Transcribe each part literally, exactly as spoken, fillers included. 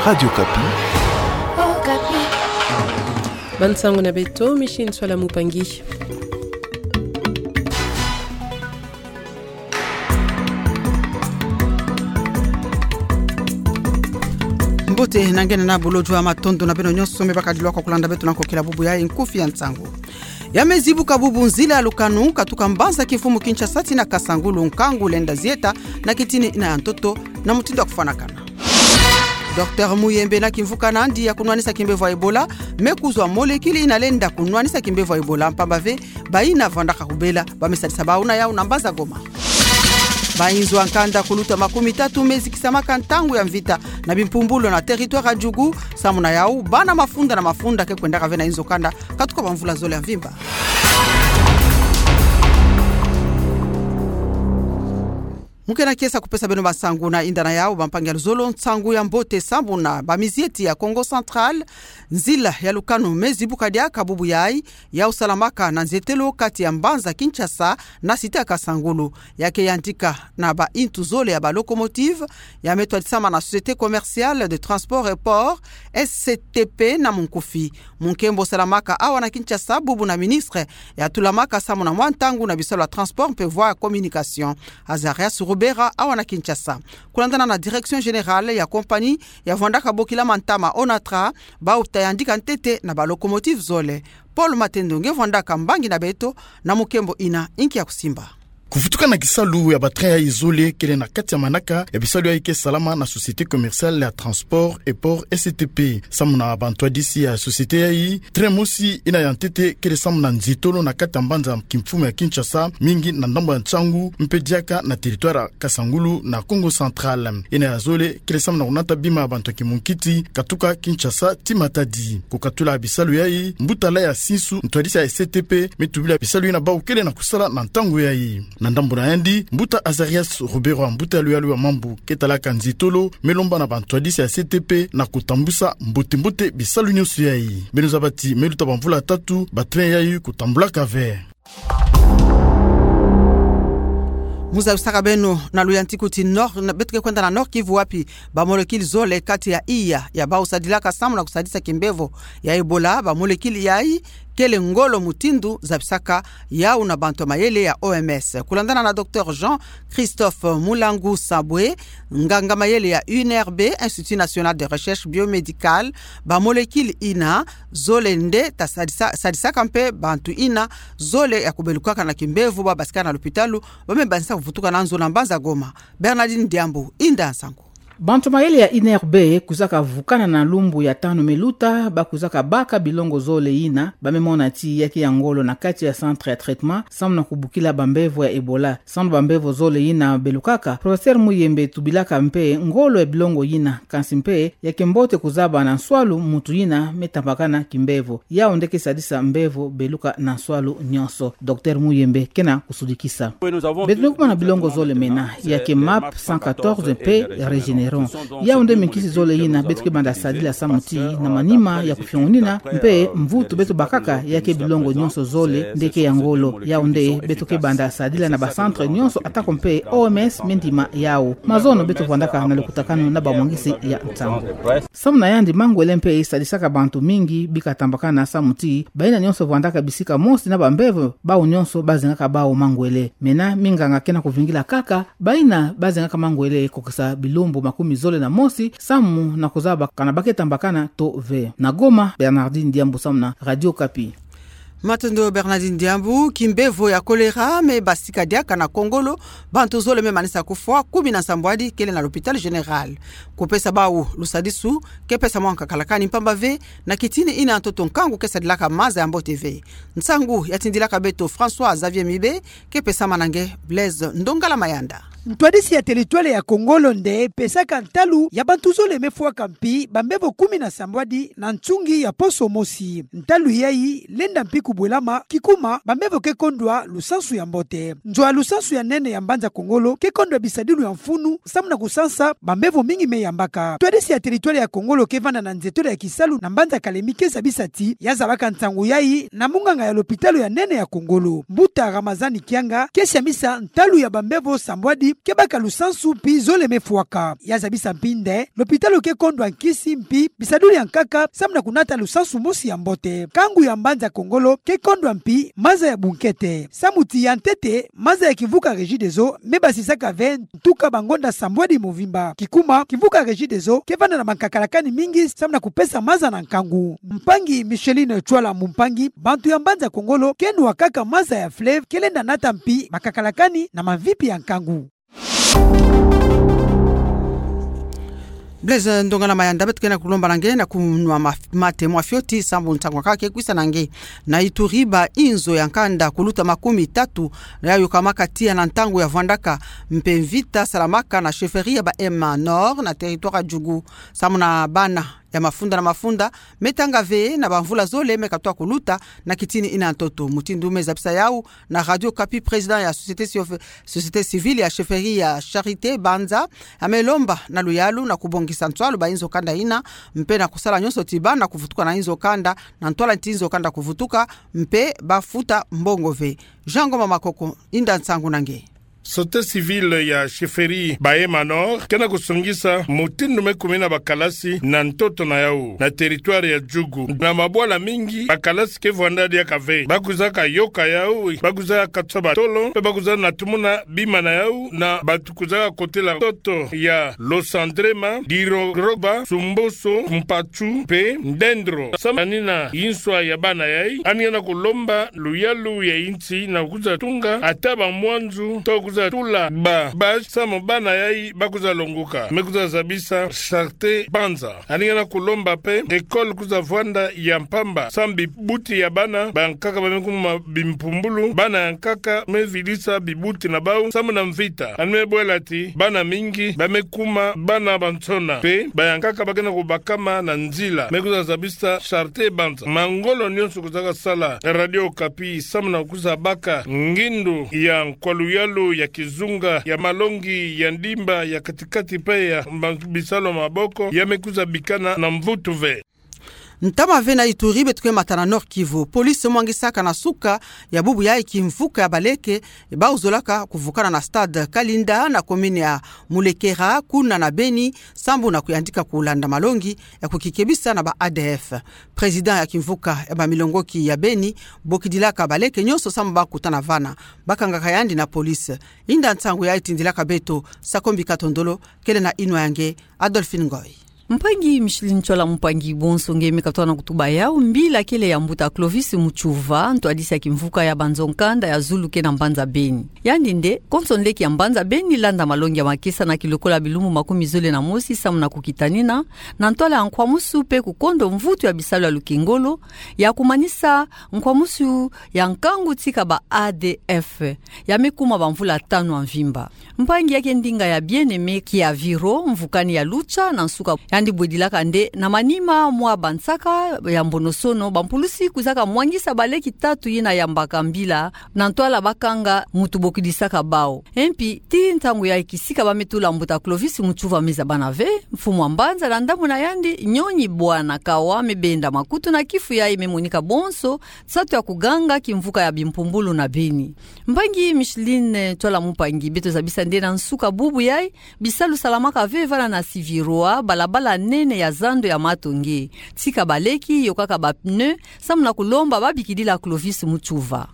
Radio Okapi. Okapi. Bansango na beto, Micheline Nswala Mupangi. Mbote, nangena na bolojwa, matondo na beno nyonso me bakadilwaka kulanda beto na nkokila bubu ya nkufi ya nsangu. Ya me zibuka bubu nzila ya lukanu katuka mbanza kimfumu Kinshasa tina Kasangulu, nkangu lenda zieta na kitini ina ya ntoto na mutindu ya kufwanakana. Docteur Muyembe na kimvuka nandi ya kunwanisa kimbevo ya Ebola, me kuzwa molécule ina lenda kunwanisa kimbevo ya Ebola, mpamba ve bayina vandaka kubela, ba me sadisa bawu na yawu na mbanza Goma. Bayinzo ya nkanda kuluta makumi tatu me zikisamaka ntangu ya mvita na bimpumbulu na territoire ya Djugu, samu na yawu bana mafunda na mafunda ke kwendaka ve na yinzo kanda katuka bamvula zole ya mvimba. Mu kena kiese kupesa beno bansangu na yinda na yawu, bampangi ya luzolo, nsangu ya mbote sambu na bamizieti ya Kongo Central, nzila ya lukanu me zibuka diaka bubu yayi, yawu salamaka na nzietelo kati ya mbanza Kinshasa na cité ya Kasangulu. Ya ke yantika na bayintu zole ya ba locomotive, ya me twadisama na Société Commerciale de Transport et Port, S C T P na munkufi. Mu nkembo salamaka awa na Kinshasa bubu na ministre ya tulamaka samu na mwa ntangu na bisalu ya transport mpe voies ya communication, Azarias Rubera, awa na Kinshasa. Kulandana na Direction Générale ya compagnie ya vwandaka bokila mantama, Onatra, bawu ta yandika ntete na ba locomotive zole. Paul Matendo nge vwandaka mbangi na beto na mu nkembo ina, inki ya kusimba. Kuvutuka na kisalu ya ba train yayi zole kele na kati ya manaka ya bisalu yayi ke salama na Société Commerciale ya Transport et Port, S C T P. Samu na bantwadisi ya société yayi, train mosi ina ya ntete kele samu na nzietolo na kati ya mbanza kimfumu ya Kinshasa, mingi na ndambu ya Tshangu, mpe diaka na territoire ya Kasangulu na Kongo Central. Ina ya zole kele samu na kunata bima ya bantu ya kimunkiti katuka Kinshasa tii Matadi. Kukatula bisalu yayi, mbuta Laya Sinsu, ntwadisi ya S C T P, me tubila bisalu yina bawu kele na kusala na ntangu yayi. Na ndambu na yandi, mbuta Azarias Rubera, mbuta ya luyalu ya mambu ke talaka nzietolo, me lomba na bantwadisi ya S C T P na kutambusa mbote-mbote bisalu nyonso yayi. Beno zaba ti me luta bamvula tatu, ba train yayi kutambulaka ve. Mu zabisaka beno na luyantiku ti Nord, na beto ke kwenda na Nord-Kivu, wapi ba molécule zole kati ya iya ya bawu sadilaka samu na kusadisa kimbevo ya Ebola, ba molécule yayi kele ngolo, mutindu zabisaka yawu na bantu ya mayele ya O M S. Kulandana na docteur Jean-Christophe Mulangu Sabwe, nganga mayele ya I N R B, Institut National de Recherche Biomédicale, ba molécule ina zole nde ta sadisa, sadisaka mpe bantu ina zole ya kubelukaka na kimbevo, ba basikaka na lupitalu, ba me bandisa kuvutuka na nzo na mbanza Goma. Bernardine Diambu, inda nsangu. Bantu mayele ya I N R B kwizaka vukana na lumbu ya tanu me luta, ba kwizaka baka bilongo zole ina ba me mona ti ya ke ya ngolo na kati ya centre ya traitement, samu na kubukila bambevo ya Ebola. Samu na bambevo zole ina belukaka, professeur Muyembe tubilaka mpe ngolo ya bilongo ina, kansi mpe ya ke mbote kuzaba na nswalu muntu ina me tambakana kimbevo. Yawu nde ke sadisa mbevo beluka na nswalu nyonso. Docteur Muyembe kena kusudikisa. Beto me kuma na bilongo zole mena, ya ke MAP cent quatorze mpe Regeneron. Yawu nde minkisi zole ina beto ke banda sadila samu ti na manima ya kufiongonina mpe mvutu beto bakaka ya ke bilongo nyonso zole nde ke ya ngolo. Yawu nde beto ke banda sadila na ba centre nyonso, atako mpe O M S me ndima yawu. Mazono beto vwandaka na lukutakanu na bamwangisi ya nsangu. Samu na yandi, mangwele mpe sadisaka bantu mingi bika tambakana samu ti bayina nyonso vwandaka bisika mosi na bambevo, bawu nyonso bazengaka bawu mangwele. Mena minganga kena kuvingila kaka bayina bazengaka mangwele kokisa bilumbu makumi zole na mosi, samu na kuzaba kana ba ke tambakana to ve. Na Goma, Bernardine Diambu samu na Radio Okapi. Matondo Bernardine Diambu. Kimbevo ya choléra me basika diaka na Kongolo, bantu zole me manisa kufwa, kumi na nsambwadi kele na l'hôpital général. Kupesa bawu lusadisu ke pesa mwa nkakalakani, mpamba ve na kitini ina ntoto nkangu ke sadilaka maza ya mbote ve. Nsangu ya tindilaka beto François Xavier Mibe, ke pesama na nge Blaise Ndongala Mayanda. Ntwadisi ya territoire ya Kongolo nde pesaka ntalu ya bantu zole me fwaka mpi bambevo kumi na nsambwadi na nsungi ya poso mosi. Ntalu yayi lenda mpi kubwelama kikuma bambevo ke kondwa lusansu ya mbote. Nzo ya lusansu ya nene ya mbanza Kongolo ke kondwa bisadilu ya mfunu samu na kusansa bambevo mingi me yambaka. Ntwadisi ya territoire ya Kongolo ke vanda na nzietolo ya kisalu na mbanza Kalemi ke zabisa ti ya zabaka nsangu yayi na munganga ya lopitalo ya nene ya Kongolo. Mbuta Ramazani Kianga ke siamisa ntalu ya bambevo nsambwadi ke baka lusansu mpi zole mefwaka. Ya zabisa mpi nde, lopitalo ke kondwa nkisi mpi bisaduli ya nkaka samu na kunata lusansu mosi ya mbote. Nkangu ya mbanza Kongolo ke kondwa mpi maza ya bunkete. Samu ti ya ntete, maza ya kimvuka Regideso mebasisaka ve ntuka bangonda sambwadi movimba. Kikuma, kimvuka Regideso ke vanda na bankakalakani mingi samu na kupesa maza na nkangu. Mpangi Micheline Tchwala Mumpangi, bantu ya mbanza Kongolo ke nwa kaka maza ya fleuve, ke lenda nata mpi bakakalakani na mamvipi ya nkangu. Blaise Ndongala Mayanda, beto ke na kulomba na nge na kunwa ma-, mate mwa fioti sambu ntangu kake kwisa na nge. Na Ituri, ba inzo ya nkanda kuluta makumi tatu yayokamaka tiya na ntangu ya vwandaka mpe mvita salamaka na chefferie ya Bahema Nord na territoire ya Djugu. Samu na bana ya mafunda na mafunda, me tanga ve na bamvula zole me katwa kuluta na kitini ina ntoto. Mutindu me zabisa yau na Radio Okapi, président ya société, société civile ya chefferie ya Charité Banza, ame lomba na luyalu na kubongisa ntwalu ba inzo kanda ina, mpe na kusala nyonso ti bana kuvutuka na inzo kanda, na ntwala nti inzo kanda kuvutuka, mpe bafuta mbongo ve. Jean Ngoma Makoko, inda nsangu na nge. Société civile ya chefferie Bahema Nord ke na kusongisa mutindu me kumina bakalasi na ntoto na yau na territoire ya Djugu. Na mabwala mingi, bakalasi ke vwanda diaka ve. Ba kwizaka yoka yau, ba kwiza katswa batolo, mpe ba kwiza na tumuna bima na yau na batu kwizaka kotela ntoto ya Losandrema, Dirogoroba, Sumboso, Mpatsu, mpe Ndendro. Samu na nina inswa ya bana yai, yandi ke na kulomba luyalu ya insi na kwiza tunga ata bamwanzu to kwiza tula ba, ba samu bana yai ba kwiza longoka. Me kwiza zabisa Charité Banza. Yandi ke na kulomba mpe école kwiza vwanda ya mpamba samu bibuti ya bana bayankaka ba me kuma bimpumbulu, bana yankaka me vidisa bibuti na bau samu na mvita. Yandi me bwela ti bana mingi ba me kuma bana bansona, mpe bayankaka ba ke na kubakama na nzila. Me kwiza zabisa Charité Banza. Mangolo nyonso kwizaka sala Radio Okapi samu na kwiza baka ngindu ya nkwa luyalu, ya kizunga, ya malongi, ya ndimba, ya katikati mpe ya ma-, bisalu maboko, ya me kwiza bikana na mvutu ve. Ntama ve na Ituri, beto ke mata na Nord-Kivu. Police mwangisaka na suka ya bubu yai kimvuka ya baleke bau zolaka kuvukana na stade Kalinda na commune ya Mulekera, kuna na Beni, sambu na kuyandika kulanda malongi ya kukikebisa na ba A D F. Président ya kimvuka ya bamilongoki ya Beni, bokidilaka baleke nyonso sambu ba kutana vana, bakangaka yandi na police. Inda nsangu yai tindilaka beto Sakombi Katondolo, kele na inwa ya nge Adolphine Ngoy. Mpangi Micheline Tchwala Mumpangi, bonso nge me katwa na kutuba yau. Mbila kele ya mbuta Clovis Mutsuva, ntwadisi ya kimvuka ya banzo nkanda ya zulu ke na mbanza Beni. Yandi nde konso nleki ya mbanza Beni landa malongi ya makesa na kilokola bilumbu makumi zole na mosi samu na kukitanina na ntwala ya nkwamusu mpe kukondo mvutu ya bisalu ya lukengolo ya kumanisa nkwamusu ya nkangu tika ba A D F ya me kuma bamvula tanu ya mvimba. Mpangi ya ke ndinga ya Bien-Aimé Kiaviro, mvukani ya Lucha, na nsuka yandi bwedilaka nde na manima mwa bansaka ya mbonosono, bampulusi kwizaka mwangisa baleki tatu yina yambaka mbila na ntwala bakanga mutu bokidisaka bau. E mpi, ti ntangu yai kisika ba me tula mbuta Clovis Mutsuva me zabana ve, mfumu wa mbanza na ndambu na yandi, nyonyi bwana Kawa, me benda makutu na kifu yai me monika bonso nsatu ya kuganga kimvuka ya bimpumbulu na Beni. Mpangi Micheline Tchwala Mumpangi, beto zabisa nde na nsuka bubu yai, bisalu salamaka ve vana na Siviroa, balabala nene ya zando ya Matonge. Tika baleki yokaka ba pneu, samu na kulomba babikidila Clovis Mutsuva.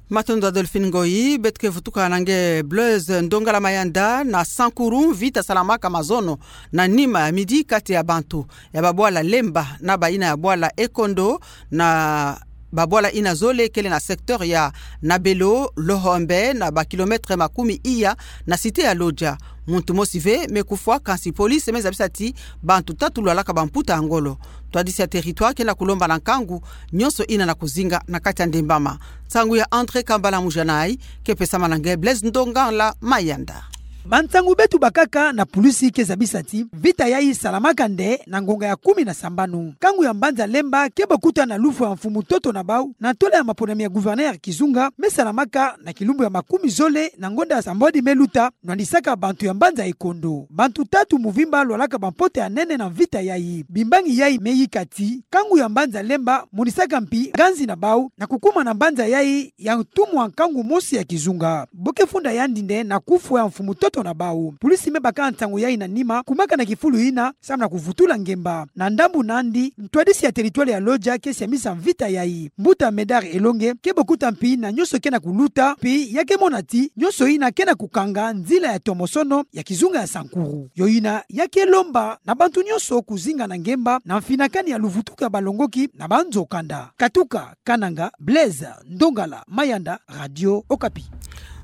Matondo Adolphine Ngoyi. Beto ke vutuka na nge Blaise Ndongala Mayanda. Na Sankuru, mvita salamaka mazono na nima ya midi kati ya bantu ya babwala Lemba na bayina ya bwala Ekondo, na babwala yina zole kele na secteur ya Nabelo, Lohombe, na ba kilomètre makumi iya na cité ya Lodja. Muntu mosi ve me kufwa, kansi police me zabisa ti bantu tatu lwalaka bamputa ya ngolo. Ntwadisi ya territoire ke na kulomba na nkangu nyonso yina na kuzinga na kati ya ndembama. Nsangu ya André Kambala Mujanai ke pesama na nge Blaise Ndongala Mayanda. Bansangu beto bakaka na pulisi ke zabisa ti mvita yayi salamaka nde na ngonga ya kumi na sambanu. Nkangu ya mbanza Lemba ke bokuta na lufwa ya mfumu Toto na Bau, na ntwala ya maponami ya gouverneur ya kizunga, me salamaka na kilumbu ya makumi zole na ngonda sambodi me luta, nwandisaka bantu ya mbanza Ikondo. Bantu tatu mvimba lwalaka bampota ya nene na mvita yayi. Bimbangi yayi me yika ti nkangu ya mbanza Lemba monisaka mpi nganzi na bau na kukuma na mbanza yayi ya ntumwa nkangu mosi ya kizunga. Bo ke funda yandi nde na kufwa ya mfumu Toto na Bau. Pulisi me baka nsangu yayi na nima, kumaka na kifulu ina, samu na kuvutula ngemba. Na ndambu nandi, ntwadisi ya territoire ya Lodja ke siamisa mvita yayi. Mbuta Médard Elongue ke bokuta mpi na nyonso ke na kuluta, mpi ya ke mona ti nyonso ina ke na kukanga nzila ya tomosono ya kizunga ya Sankuru. Yo ina ya ke lomba na bantu nyonso kuzinga na ngemba na mfinakani ya luvutuku ya balongoki na banzo kanda. Katuka Kananga, Blaise Ndongala Mayanda, Radio Okapi.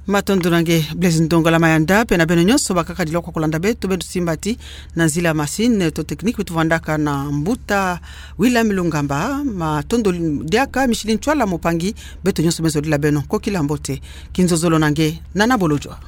Matondo na nge Blaise Ndongala Mayanda, pe na beno nyonso bakaka dilokwa kulanda beto, beno simba ti na nzila machine to technique beto vandaka na mbuta William Lungamba. Matondo diaka, Micheline Ntsoila mopangi, beto nyonso me zodila beno kokila mbote. Kinzozolo na nge, nana bolojwa.